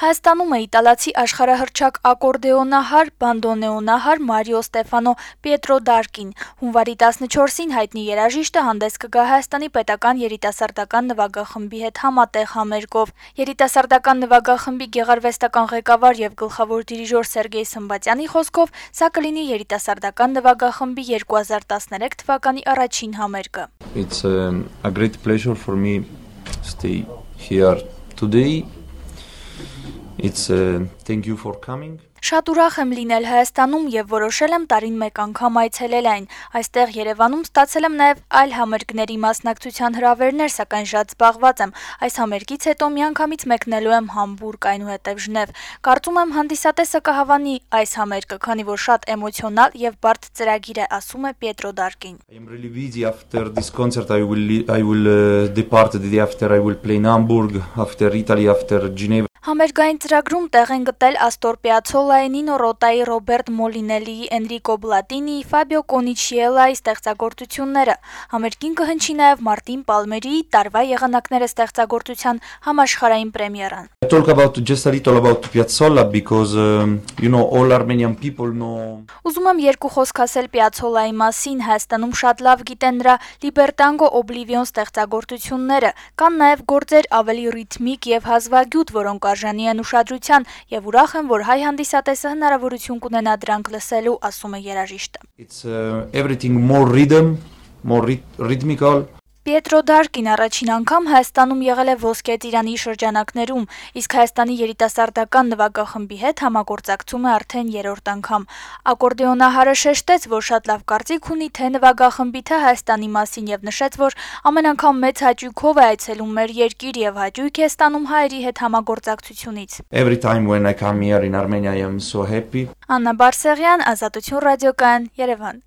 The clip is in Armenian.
Հայաստանում է իտալացի աշխարհահռչակ ակորդեոնահար, բանդոնեոնահար Մարիո Ստեֆանո Պիետրոդարկին։ Հունվարի 14-ին հայտնի երաժիշտը հանդես կգա Հայաստանի պետական երիտասարդական նվագախմբի հետ համատեղ համերգով։ Երիտասարդական նվագախմբի գեղարվեստական ղեկավար եւ գլխավոր դիրիժոր Սերգեյ Սմբատյանի խոսքով սա կլինի երիտասարդական նվագախմբի 2013 թվականի առաջին համերգը։ It's a great pleasure for me to stay here today. It's thank you for coming. Շատ ուրախ եմ լինել Հայաստանում եւ որոշել եմ տարին մեկ անգամ այցելել այն։ Այստեղ Երևանում ստացել եմ նաեւ այլ համերգների մասնակցության հրավերներ, սակայն շատ զբաղված եմ։ Այս համերգից հետո միանգամից մեկնելու եմ Համբուրգ, այնուհետեւ Ժնև։ Կարծում եմ հանդիսատեսը կհավանի այս համերգը, քանի որ շատ էմոցիոնալ եւ բարդ ծրագիր է, ասում է Պիետրոդարկին։ I am really busy after this concert. I will depart the day after. I will play in Hamburg, after Italy, after Geneva. Համերգային ծրագրում տեղ են գտել Աստոր Պիացոլայի, Նինո Ռոտայի, Ռոբերտ Մոլինելիի, Էնրիկո Բլատինիի, Ֆաբիո Կոնիչիելայի ստեղծագործությունները։ Համերգին կհնչի նաև Մարտին Պալմերիի տարվա եղանակները ստեղծագործության համաշխարհային պրեմիերան։ I talk about just a little about Piazzolla because all Armenian people know. Ուզում եմ երկու խոսք ասել Պիացոլայի մասին, Հայաստանում շատ լավ գիտեն նրա Լիբերտանգո Օբլիվիոն ստեղծագործությունները, կան նաև գործեր ավելի ռիթմիկ եւ հազվագյուտ, որոնք արժանի են ուշադրության, եւ ուրախ եմ, որ հայ հանդիսատեսը հնարավորություն կունենա դրանք լսելու, ասում է երաժիշտը։ It's everything more rhythm, more rhythmical. Պիետրոդարկին առաջին անգամ Հայաստանում եղել է Ոսկե Ծիրանի շրջանակներում, իսկ Հայաստանի երիտասարդական նվագախմբի հետ համագործակցում է արդեն երրորդ անգամ։ Ակորդեոնահարը շեշտեց, որ շատ լավ կարծիք ունի թե նվագախմբի, թե Հայաստանի մասին եւ նշեց, որ ամեն անգամ մեծ հաճույքով է այցելում մեր երկիր եւ հաճույք է ստանում հայերի հետ համագործակցությունից։ Every time when I come here in Armenia, I am so happy. Աննա Բարսեղյան, Ազատություն ռադիոկայան, Երևան։